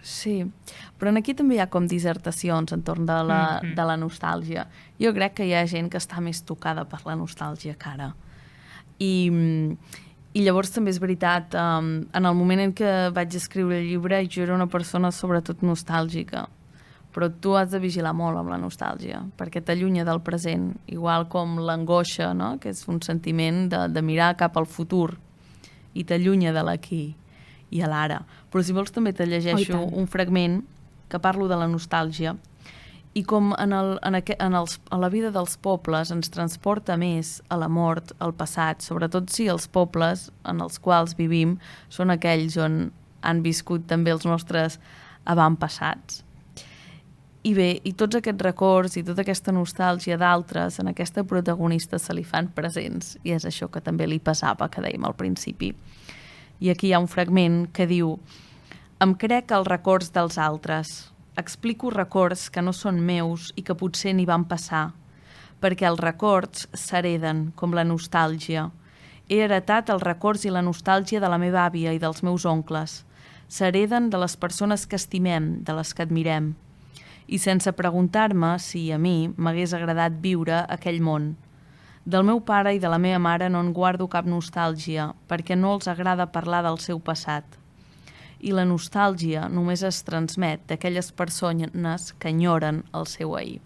Sí, però aquí també hi ha com dissertacions entorn de la nostàlgia. Jo crec que hi ha gent que està més tocada per la nostàlgia que ara. I llavors també és veritat, en el moment en què vaig escriure el llibre jo era una persona sobretot nostàlgica, però tu has de vigilar molt amb la nostàlgia, perquè t'allunya del present, igual com l'angoixa, no? Que és un sentiment de mirar cap al futur i t'allunya de l'aquí i a l'ara. Però si vols també te llegeixo un fragment que parlo de la nostàlgia i com a la vida dels pobles ens transporta més a la mort, al passat, sobretot si els pobles en els quals vivim són aquells on han viscut també els nostres avantpassats. I bé, i tots aquests records i tota aquesta nostàlgia d'altres en aquesta protagonista se li fan presents i és això que també li pesava, que dèiem al principi. I aquí hi ha un fragment que diu: em crec els records dels altres, explico records que no són meus i que potser n'hi van passar, perquè els records s'hereden com la nostàlgia. He heretat els records i la nostàlgia de la meva àvia i dels meus oncles. S'hereden de les persones que estimem, de les que admirem. I sense preguntar-me si a mi m'hagués agradat viure aquell món. Del meu pare i de la meva mare no en guardo cap nostàlgia, perquè no els agrada parlar del seu passat. I la nostàlgia només es transmet d'aquelles persones que enyoren el seu ahir.